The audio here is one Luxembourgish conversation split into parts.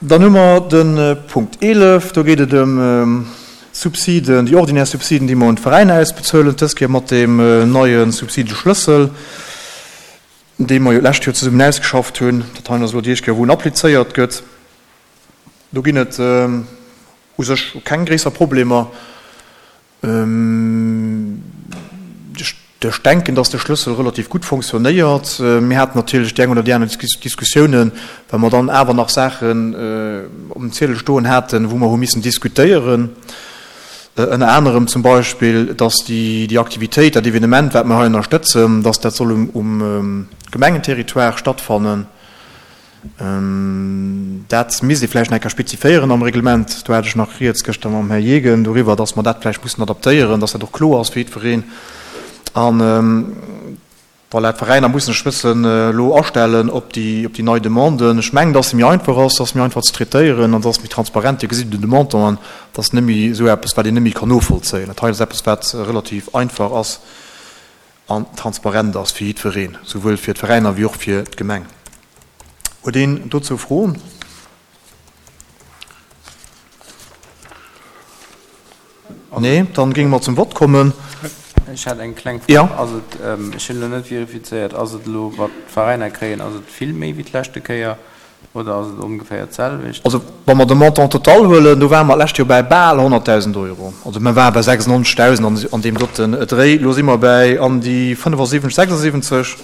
Dann hu mer de Punkt 11, do geet et ëm d'Subsiden, déi ordinär Subsiden, déi mer un d'Veräiner ausbezuelen, dës Kéier mat deem neie Subsideschlëssel, dee mer jo d'lescht Joer zesummen ausgeschafft hunn. Dat hei ass elo déi éischt Kéier, wou en applizéiert gëtt. Do ginn et u sech keng gréisser Problemer. Ech denken, dass de Schlëssel relativ gutt fonctionnéiert. Mir haten natierlech déi eng oder déi aner Diskussiounen, well mer dann awer nach Saachen um Ziedel stoen haten, wou mer hu missen diskutéieren. Ënner anerem zum Beispill, dass déi Aktivitéit, dat Evenement, wat mer hei ënnerstëtzen, dass dat soll um Gemengenterritoire stattfannen. Dat misst ee vläicht nach eng Kéier speziféieren am Reglement. Do hat ech nach rieds gëschter mam Här Jegen doriwwer, dass mer dat vläicht mussen adaptéieren, dass dat och kloer ass fir jiddwereen. An voilà, d'Veräiner mussen sech e bëssen elo astellen op déi, op déi nei Demanden. Ech mengen, dass se méi einfach ass, dass se méi einfach ze traitéieren an dass méi transparent. Dir gesitt un de Montanten, dass net méi esou eppes, wat een net méi kann novollzéien. Dat hei ass eppes, wat relativ einfach ass. An transparent ass fir jiddwereen, souwuel fir d'Veräiner wéi och fir d'Gemeng. Huet een dozou Froen? Nee, dann géinge mer zum Vott kommen. Ech hätt eng kleng Fro. Ass et, ech hunn elo net verifizéiert, ass et elo, wat d'Veräiner kréien, ass et vill méi wéi d'leschte Kéier? Oder ass et ongeféier d'selwecht? Also wa mer de Montant total huelen, do ware mer d'lescht Joer bäi bal 100.000 Euro. Also mer ware bei 96.000 an deem doten Dréi. Elo si mer bäi an déi 75, 76,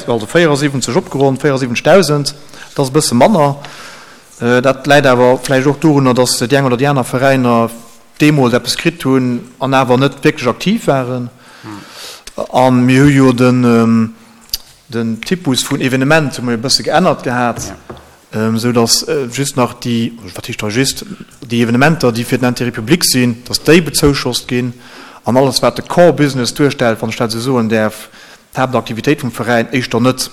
also 74 opgeronnt, 74.000. Dat ass e bësse manner. Dat läit awer vläicht och dorunner, datt déi eng oder déi aner Veräiner deemools eppes kritt hunn an awer net wierklech aktiv waren. A mir hu jo den. Den Typus vun Evenement hu mer jo e bësse geännert gehat, esou datt just nach déi, wat heescht hei just, déi Evenementer, déi fir den Intérêt public sinn, datt déi bezouschost ginn an alles, wat de Core Business duerstellt, wann ech dat esou soen däerf, d'Haaptaktivitéit vum Veräin, éischter net.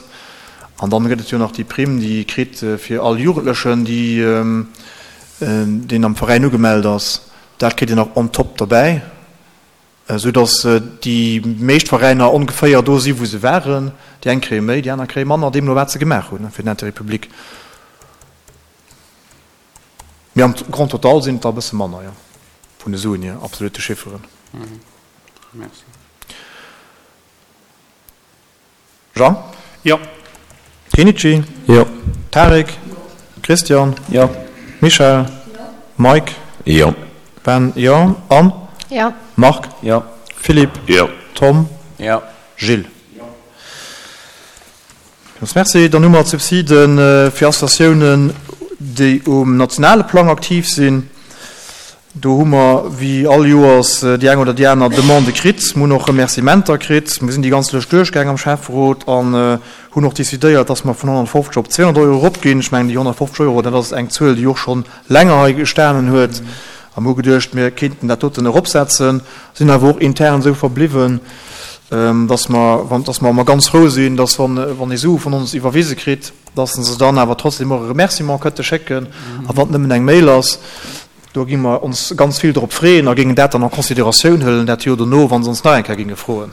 An dann gëtt et jo nach déi Primm, déi ee kritt fir all Jugendlechen, déi, deen am Veräin ugemellt ass. Dat kritt een nach on top derbäi. Esou datt déi meescht Veräiner ongeféier do si wou se waren. Déi eng kréie méi, déi aner kréie manner, deemno wat se gemaach hunn fir den Intérêt public. Mee am Grand total sinn et der e bësse manner, jo, vun de Suen hier, absolute Chifferen. Merci. Jean? Jo. Kenichi? Jo. Tarik? Christian? Jo. Michèle? Mike? Jo. Ben? Jo. Anne? Jo. Marc? Jo. Philippe? Jo. Tom? Jo. Gilles? Villmools Merci. Dann hu mer d'Subside fir Associatiounen, déi um nationale Plang aktiv sinn. Do hu mer wéi all Joers déi eng oder déi aner Demande kritt. Mir hunn och Remerciementer kritt. Mir sinn déi ganz Lëscht duerchgaang am Schäfferot an hunn och decidéiert, dass mer vun 150 op 200 Euro eropginn. Ech mengen, déi 150 Euro, dat ass eng Zuel, déi och scho länger hei gestanen huet. A mir hu geduecht, mir kéinten dat doten eropsetzen, sinn awer och intern esou verbliwwen, dass mer, dass mer ganz frou sinn, dass wann ee Sue vun ons iwwerwise kritt, dass se dann awer trotzdem och e Remerciement kënnte schécken, a wann et nëmmen eng Mail ass. Do gi mer ons ganz vill drop freeën a géingen dat dann en Considératioun huelen dat Joer dono, wa se ons nach eng Kéier géinge froen.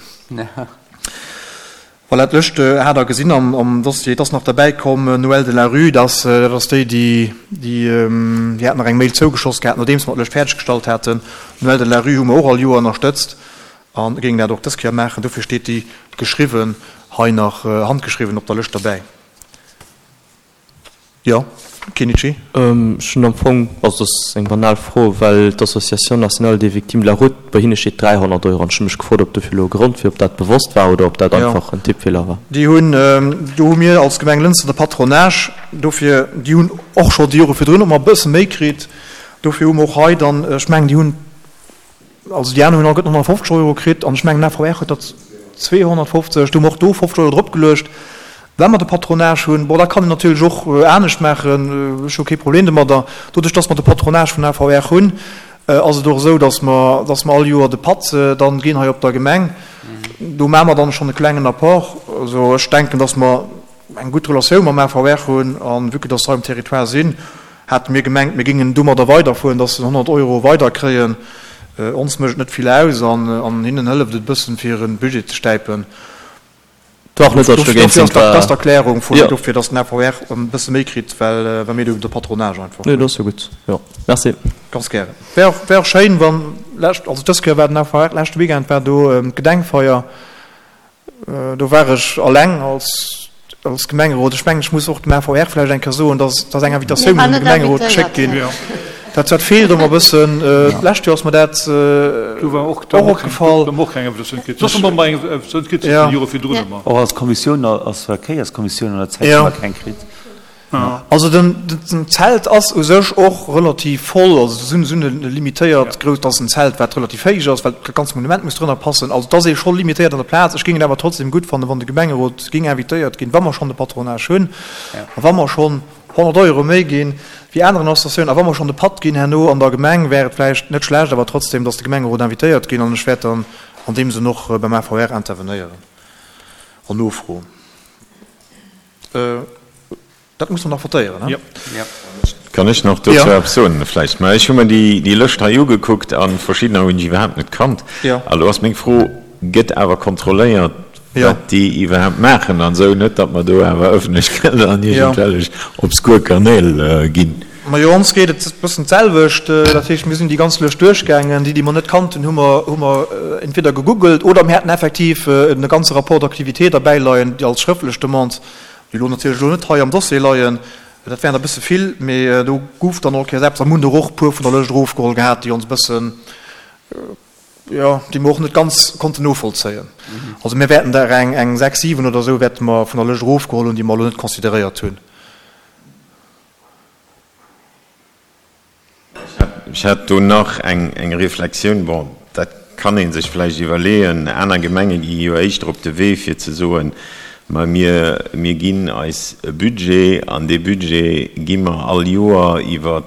Voilà, d'Lëscht hat Der gesinn am Dossier. Et ass nach derbäi komm, Noël de la Rue, dat ass déi, déi, déi hat nach eng Mail zougeschoss gehat, nodeems mer d'Lëscht fäerdeggestallt haten. Noël de la Rue hu mer och all Joer ënnerstëtzt a géingen dat och dës Kéier maachen. Dofir steet déi geschriwwen hei nach handgeschriwwen op der Lëscht derbäi. Jo, Kenichi? Ech hunn am Fong, also dat ass eng banal Fro, well d'Association nationale des victimes de la route, bei hinne steet 300 Euro an ech hu mech gefrot, ob dofir elo e Grond wier, ob dat bewosst war oder ob dat einfach en Tippfeeler war. Déi hunn, do hu mir als Gemeng Lënster de Patronage, dofir, déi hunn och scho déi Jore virdrun ëmmer e bësse méi kritt, dofir hu mer och hei dann, ech mengen déi hunn, Also déi aner hunn alleguerten 150 Euro kritt an ech mengen den AVR huet der 250. Do hu mer och do 50 Euro dropgeluecht, well mer de Patronage hunn. Bon, dat kann een natierlech och anescht maachen, ech hu kee Problem domadder. Doduerch, dass mer de Patronage vun AVR hunn, ass et och esou, dass mer, dass mer all Joer de Patt dann ginn hei op der Gemeng. Do maache mer dann schonn e klengen Apport. Also ech denken, dass mer eng gutt Relatioun mam AVR hunn a vue que dass se hei um Territoire sinn, Hate mir gemengt, mir géingen domadder weiderfueren, dass se 100 Euro weiderkréien. Ons mécht et net vill aus an hinnen hëlleft et e bëssen, fir hire Budget ze stäipen. War och net, datt ech dogéint sinn. Dat ass d'Erklärung vun dofir, datt den AVR e bësse méi kritt, well mir do de Patronage einfach hunn. Nee, dat ass jo gutt. Jo, merci. Ganz gären. Wär och, wär och schéin, wann lescht, also dës Kéier war den AVR, leschte Weekend war do d'Gedenkfeier. Do war ech alleng als, als Gemengerot. Ech mengen, ech muss och dem AVR vläicht eng Kéier soen, dass, dass eng Invitatioun un de Gemengerot geschéckt ginn. Dat, dat feelt ëmmer e bëssen. D'lescht Joer ass mer dat och opgefall. Och als Kommissioun, als Verkéierskommissioun an der Zäit hu mer keng kritt. Also den Zelt ass u sech och relativ voll, also se hunn e limitéiert grouss, dat ass en Zelt wat relativ héich ass, well dat ganzt Monument muss drënner passen. Also et ass ee scho limitéiert an der Plaz. Ech géing et awer trotzdem gutt fannen, wann de Gemengerot géing invitéiert ginn, wa mer schonn de Patronage hunn a wa mer schonn 100 Euro méi ginn wéi aneren Associatiounen a wa mer schonn de Patt ginn herno an der Gemeng, wär et vläicht net schlecht awer trotzdem, datt de Gemengerot invitéiert ginn an ech wäert dann an deem Sënn och beim AVR intervenéieren an nofroen. Dat muss mer nach votéieren, he? Kann ech nach dozou eppes soen vläicht? Mä ech hu mer déi Lëscht hei ugekuckt a verschiddener hunn ech iwwerhaapt net kannt. A lo ass meng Fro, Gëtt awer kontrolléiert, wat déi iwwerhaapt maachen an esou, net datt mer do awer ëffentlech Gelder an iergendwellech obskur Kanäl ginn? Majo, ons geet et e bëssen d'selwecht. Dat heescht, mir sinn déi ganz Lëscht duerchgaangen. Déi, déi mer net kannten, hu mer, hu mer entweder gegoogelt oder mir haten effektiv e ganze Rapport d'activité derbäi leien, déi als schrëftlech Demande, déi elo natierlech elo net hei am Dossier leien. Dat wären der e bësse vill, mee do gouf dann all Kéiers eppes. A mir hunn der och e puer vun der Lëscht erofgeholl gehat, déi ons e bëssen, jo, déi mer och net ganz konnten novollzéien. Also mir wäerten der eng, eng 6, 7 oder esou wäerte mer vun der Lëscht erofgeholl hunn, déi mer elo net consideréiert hunn. Ech hätt do nach eng Reflexioun. Bon, dat kann ee sech vläicht iwwerleeën. Aner Gemenge gi jo éischter op de Wee fir ze soen, ma mir, mir ginn eis e Budget an dee Budget gi mer all Joer iwwer,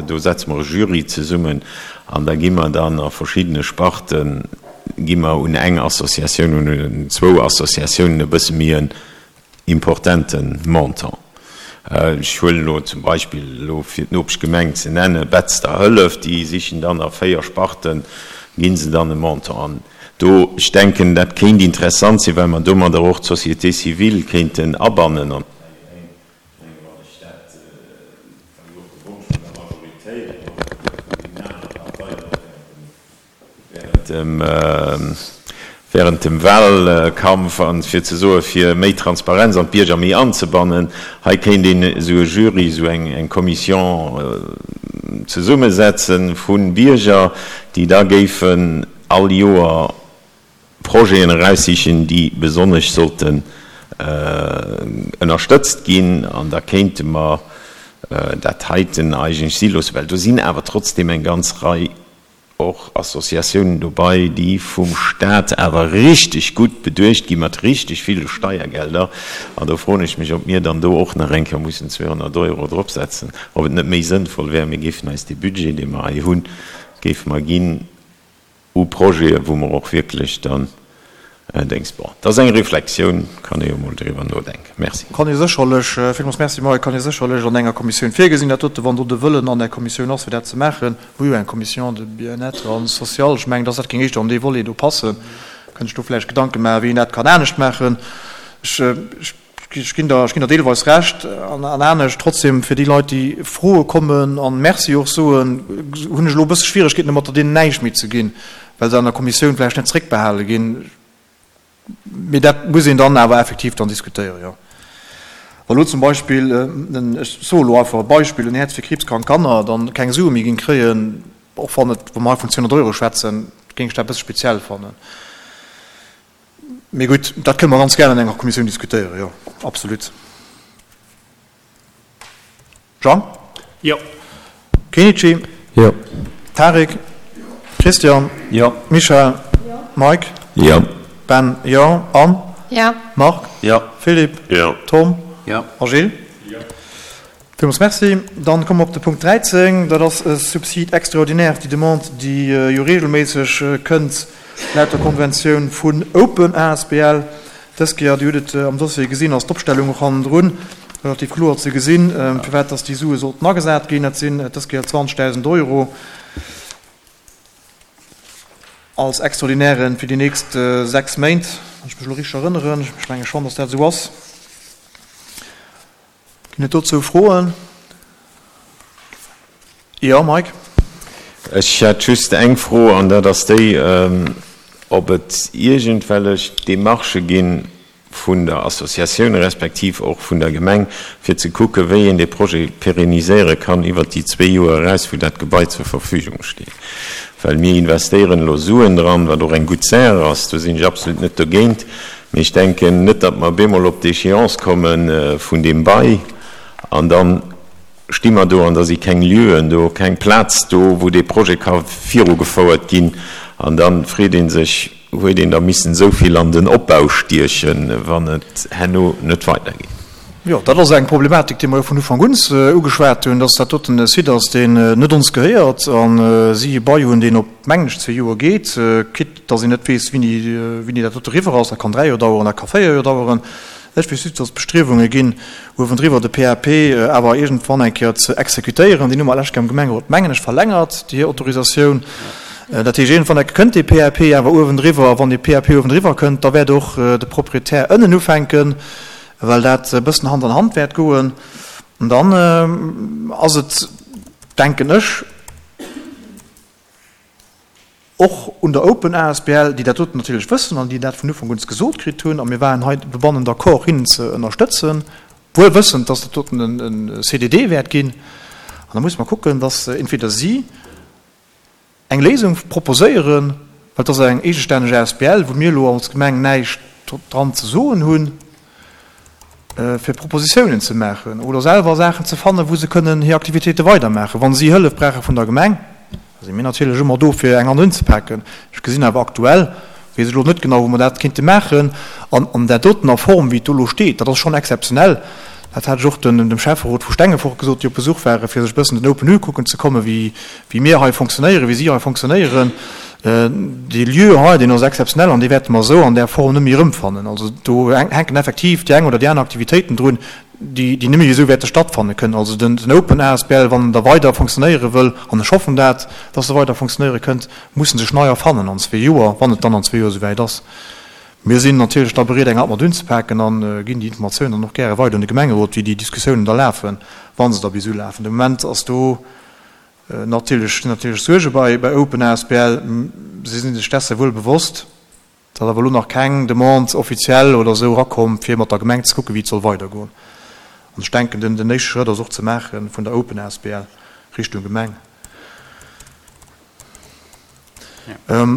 do setze mer e Jury zesummen an da gi mer dann a verschiddene Sparten, gi mer un eng Associatioun, un zwou Associatiounen e bësse méi en importente Montant. Ech huelen elo zum Beispill, elo fir d'Nopeschgemeng ze nennen, Betzder Hëllef, déi sichen dann a 4 Sparten, gi se dann e Montant. An do, ech denken, dat kéint interessant sinn, well mer domadder och d'Société civile kéinten abannen. An ech mengen, wann ech dat, war jo och de Wonsch vun der Majoritéit an och vun deenen anere Parteien och während dem, während dem Wahlkampf, an fir ze soen, fir méi Transparenz an d'Bierger méi anzebannen, hei kéint een esou e Jury, esou eng, eng Commission zesummesetze vu Bierger, déi da géifen all Joer Projeten eraussichen, déi besonnesch sollten ënnerstëtzt ginn. An da kéinte mer dat heiten eigentlech si loossen, well do sinn awer trotzdem eng ganz Rei och Associatiounen dobei, déi vum Stat awer richteg gutt beduecht gi mat richteg ville Steiergelder. An do froen ech mech, ob mir dann do och nach eng Kéier mussen 200 Euro dropsetzen, ob et net méi sënnvoll wär, mir géifen eis dee Budget, dee mer hei hunn, géife mer ginn u Projeten, wou mer och wierklech dann Déngs. Bon, dat ass eng Reflexioun, kann ee jo mol driwwer nodenken. Merci. Kann ee sécherlech, villmools Merci Mike, kann ee sécherlech an enger Kommissioun virgesinn, dat dote, wann do de Wëllen an där Kommissioun ass, fir dat ze maachen. Hu jo eng Commission de bien-être an social, ech mengen, dass dat géing éischter an dee Volet do passen. Kënnt sech do vläicht Gedanke maachen, wéi een dat kann anescht maachen. Ech, ech ginn der, ech ginn der deelweis Recht an anescht. Trotzdem, fir déi Leit, déi froe kommen an Merci och soen, hunn ech elo e bësse Schwieregkeeten domatter, deenen näischt méi ze ginn. well se an der Kommissioun vläicht net zréckbehale ginn. Mee dat muss een dann awer effektiv dann diskutéieren, jo. Wa lo zum Beispill, ech soe lo einfach e Beispill, en Häerz fir kriibskrank Kanner dann keng Sue méi géing kréien, och wann et, wa mer hei vun 200 Euro schwätzen, géing ech dat e bësse speziell fannen. Mee gutt, dat kënne mer ganz gär an enger Kommissioun diskutéieren, jo, absolut. Jean? Jo. Kenichi? Jo. Tarik? Christian? Jo. Michèle? Jo. Mike? Jo. Ben? Jo. Anne? Jo. Marc? Jo. Philippe? Jo. Tom? Jo. A Gilles? Jo. Villmools Merci. Dann komme mer op de Punkt 13. Dat ass e Subside extraordinaire, déi Demande, déi jo regelméisseg kënnt laut der Konventioun vun Open asbl. Dës Kéier, Dir hutt et am Dossier gesinn, ass d'Opstellung och hannendrun relativ kloer ze gesinn, firwat dass déi Sue sollten agesat ginn. Dat sinn dës Kéier 20.000 Euro. Als Extraordinairen fir déi nächst 6 Méint, wann ech mech elo richteg erënneren. Ech menge schonn, dass dat esou ass. Ginn et dozou Froen? Jo, Mike? Ech hätt just eng Fro, an dat ass déi, ob et iergendwellech Demarchë ginn, vun der Associatioun respektiv och vun der Gemeng, fir ze kucken, wéi een dee Projet pérenniséiere kann iwwert déi zwee Joer eraus, wou dat Gebai zur Verfügung steet. Well mir investéieren elo Suen dran, wat och eng gutt Saach ass, do sinn ech absolut net dogéint, mee ech denken net, datt mer bemol op d'Échéance komme vun deem Bail an da sti mer do an da si keng Lieuen do, keng Plaz do, wou dee Projet ka virugefouert ginn an da freet ee sech, Huet een da missen esou vill an den Opbau stiechen, wann et herno net weidergeet? Jo, dat ass eng Problematik, déi mer jo vun Ufank un ugeschwat hunn, dass dat doten e Site ass, deen net ons gehéiert a si e Bail hunn, deen op, mengen ech, zwee Joer geet, quitte dass een net weess, wéini, wéini dat dote eriwwer ass. Dat kann dräi Joer daueren, dat ka véier Joer daueren. Ech weess just, dass et Bestriewunge ginn, uewendriwwer de PAP awer iergendwann eng Kéier ze exekutéieren. Deen hu mer lech am Gemengerot, mengen ech, verlängert, déi hir Autorisatioun. Dat heescht, iergendwann eng Kéier kënnt dee PAP awer uewendriwwer. A wann dee PAP uewendriwwer kënnt, da wäert och de Proprietär ënnen ufänken, well dat e bëssen Hand an Hand wäert goen. An dann ass et, denken ech, Och un der Open asbl, déi dat doten natierlech wëssen an déi dat vun Ufank un gesot kritt hunn, a mir waren hei dobannen d'accord, hinnen ze ënnerstëtzen, wuel wëssend, dass dat doten e CDD wäert ginn. An da musse mer kucken, dass entweder si eng Léisung proposéieren, well et ass eng eegestänneg asbl, wou mir elo als Gemeng näischt dran ze soen hunn, fir Propositiounen ze maachen oder selwer Saachen ze fannen, wou se kënnen hir Aktivitéite weidermaachen. Wa si Hëllef brauche vun der Gemeng, da si mir natierlech ëmmer do, fir eng Hand unzepaken. Ech gesinn awer aktuell, weess ech elo net genau, wou mer dat kéinte maachen. An an där dotener Form, wéi et do elo steet, dat ass schonn exzeptionell. Dat hat ech och dem Schäfferot vu Stengefort gesot, déi op Besuch waren, fir sech e bëssen den Open ukucken ze kommen, wéi mir hei fonctionnéieren, wéi si hei fonctionnéieren. Dee Lieu hei, deen ass exzeptionell an dee wäerte mer esou an där Form net méi erëmfannen. Also do hänken effektiv déi eng oder déi aner Aktivitéiten drun, déi net méi esou wäerte stattfanne kënnen. Also den Open asbl, wann en da weider fonctionnéiere wëll, an ech hoffen dat, dass e weider fonctionnéiere kënnt, muss en sech nei erfannen an zwee Joer, wann et dann an zwee Joer esouwäit ass. Mir sinn natierlech da bereet, eng Hand mat unzepaken a ginn déi Informatiounen dann och gäre weider un de Gemengerot, wéi déi Diskussiounen da lafen, wa se da bis ulafen. De Moment ass do Natierlech sinn natierlech Suerge bei bei Open asbl. Si sinn sech dessen wuel bewosst. Et ass awer elo nach keng Demande offiziell oder esou erakomm, fir mat der Gemeng ze kucken, wéi et soll weidergoen. An ech denken, den den éischte Schrëtt ass och ze maache vun der Open asbl Richtung Gemeng.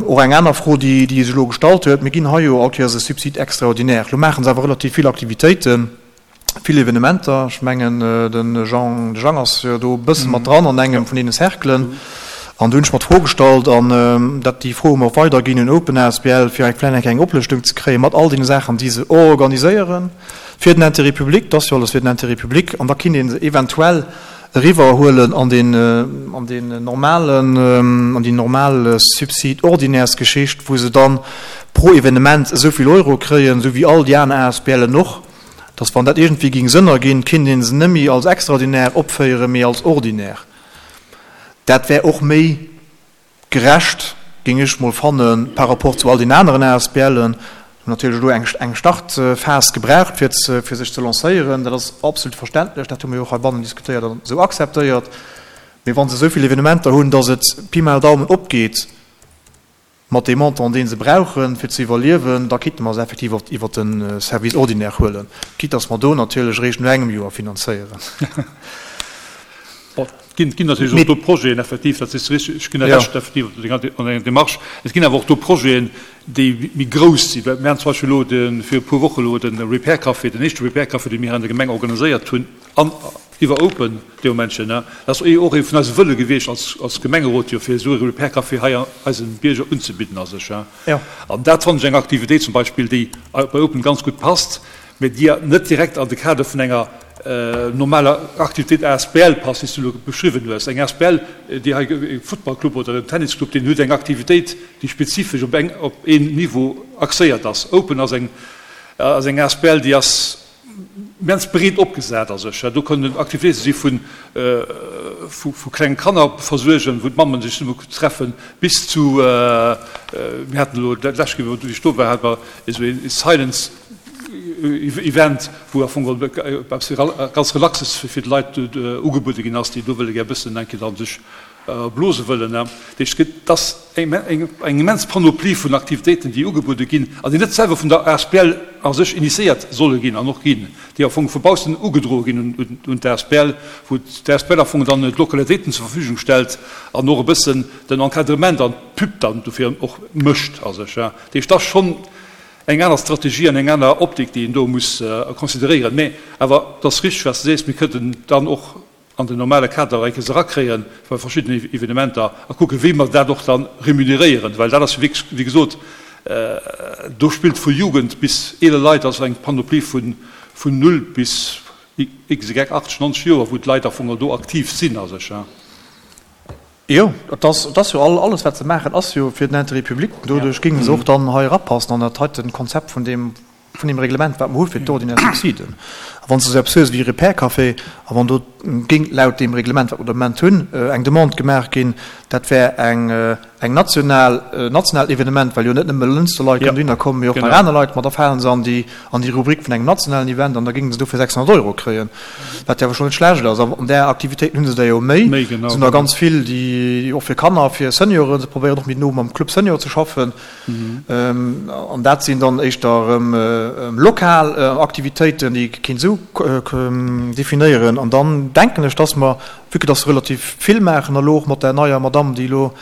Och eng aner Fro, déi déi sech elo gestallt huet, Mir ginn hei jo all Kéiers e Subside extraordinaire. Elo maache se awer relativ vill Aktivitéiten. Vill Evenementer, ech mengen de Jean, de Jang ass jo do e bësse mat dran an engem vun deene Cerclen. An do hunn ech mer d'Fro gestallt, an dat déi Fro hu mer och weiderginn un Open asbl, fir eng vläicht eng Oplëschtung ze kréien mat all deene Saachen, déi se organiséieren fir den Intérêt public. Dat ass jo alles fir den Intérêt public. An da kinnt ee se eventuell eriwwerhuelen an deen, an deen normalen, an déi normal Subside-ordinaires-Geschicht, wou se dann pro Evenement esou vill Euro kréien, esou wéi all déi aner ASBLen och. Dass wann dat iergendwéi géing Sënn erginn, kinnt ee se net méi als extraordinaire opféieren, mee als ordinaire. Dat wär och méi gerecht, géing ech mol fannen, par rapport zu all den aneren ASBLen. Hunn natierlech elo eng Startphas gebraucht, fir fir sech ze lancéieren. Dat ass absolut verständlech, dat hu mir jo och heibannen diskutéiert an esou akzeptéiert. Mee wa se esou vill Evenementer hunn, dass et Pi mal Daumen opgeet, Mat deem Montant, dee se brauchen, fir ze iwwerliewen, da kinnte mer se effektiv och iwwert de Service ordinaire huelen, quitte dass mer do natierlech eréischt no engem Joer finanzéieren. Bon, et ginn natierlech och do Projeten, effektiv, dat sees de richteg, ech ginn der Recht, effektiv, an denger Démarche. Et ginn awer och do Projeten, déi méi grouss sinn. Mir haten zum Beispill elo fir e puer Woche elo de Repair Café, den éischte Repair Café, dee mir hei an der Gemeng organiséiert hunn, an iwwer Open dee Momentchen, dat ass och ee vun eise Wëlle gewiescht als, als Gemengerot jo, fir esou e Repair Café hei eise Bierger unzebidden a sech. An dat fannen ech eng Aktivitéit zum Beispill, déi bei Open ganz gutt passt, mä déi net direkt an de Kader vun enger normaler Aktivitéit asbl passt, wéi s du elo beschriwwen hues. Eng asbl, déi hei, e Futtballclub oder en Tennisclub, deen huet eng Aktivitéit, déi spezifesch op eng, op een Niveau axéiert ass. Open ass eng, ass eng asbl, déi ass. Immens breet opgesat a sech. Do kënnen Aktivitéite si vu vu klenge Kanner versuergen, wou d'Mammen sech zesumme treffen, bis zu, mir haten elo dat lescht Kéier, wou ech do war, hate mer esou ee Silence Event, wou am Fong eppes ganz Relaxes fir d'Leit ugebuede ginn ass, déi do wëlle gär e bëssen eng Kéier dann sech blose wëllen. Dat heescht, et ass eng immens Panoplie vun Aktivitéiten, déi ugebuede ginn an déi net selwer vun der asbl a sech initiéiert solle ginn an och ginn, déi am Fong vu baussen ugedroe ginn un d'asbl, wou d'asbl am Fong dann d'Lokalitéiten zur Verfügung stellt an och e bëssen den Encadrement an d'Pub dann dofir och mécht a sech. Dat heescht, et ass schonn eng aner Strategie an eng aner Optik, déi een do muss consideréieren. Mä awer et ass richteg, wat s de sees, mir kënnten dann och an den normale Kader eng Kéiers erakréien bei verschiddenen Evenementer a kucken, wéi mer dat och da remuneréieren, well dat ass jo wierklech, wéi gesot, do spillt vu Jugend bis eeler Leit, also eng Panoplie vun null bis xy, 80, 90 Joer, wou d'Leit am Fong do aktiv sinn a sech. Jo, et ass, et ass jo all, alles wat se maachen ass jo fir den Intérêt public. Doduerch géinge se och dann hei erapassen an dat heiten Konzept vun deem, vun deem Reglement, wat mer hu fir d'ordinär Subsiden. A wann s de esou eppes hues wéi e Repair-Café, a wann do géing laut deem Reglement, wat mer de Moment hunn, eng Demande gemaach ginn, dat wär eng, eng national, en nationaalt Evenement, well jo net nëmme Lënster Leit kënnen dohinner kommen, mee och nach aner Leit, ma da falen se an déi, an déi Rubrik vun engem nationalen Event an da géinge se dofir 600 Euro kréien, wat jo awer schonn net schlecht ass. An där Aktivitéiten hu se der jo méi. Et sinn der ganz vill, déi och fir Kanner, fir Senioren, se probéieren och méi no mam Club Senior ze schaffen. An dat sinn dann éischter erëm lokal Aktivitéiten, déi ee kéint esou definéieren. An dann denken ech, dass mer, vue que dass se relativ vill maachen, elo och mat där neier Madamm, déi elo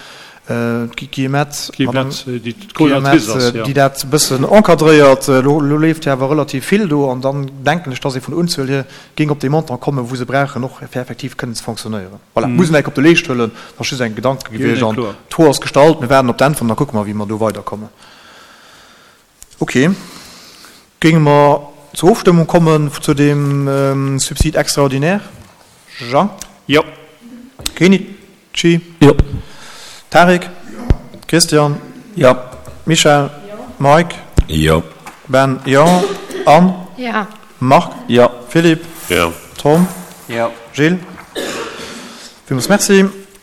d'Guillemette, déi dat e bëssen encadréiert, elo leeft jo awer relativ vill do. An dann denken ech, dass ee vun der Unzuel hier géing op dee Montant kommen, wou se brauchen, och fir effektiv kënnen ze fonctionnéieren. Voilà, muss een enk op de Leescht huelen. Dat ass just eng Gedanke gewiescht an d'Fro ass gestallt. Mir waarden op d'Äntwert an da kucke mer, wéi mer do weiderkommen. Okay, géinge mer zur Ofstëmmung kommen zu deem Subside extraordinaire? Jean? Jo. Kenichi? Jo. Tarik? Jo. Christian? Jo. Michèle? Jo. Mike? Jo. Ben? Jo. Anne? Jo. Marc? Jo. Philippe? Jo. Tom? Jo. Gilles? Villmools Merci.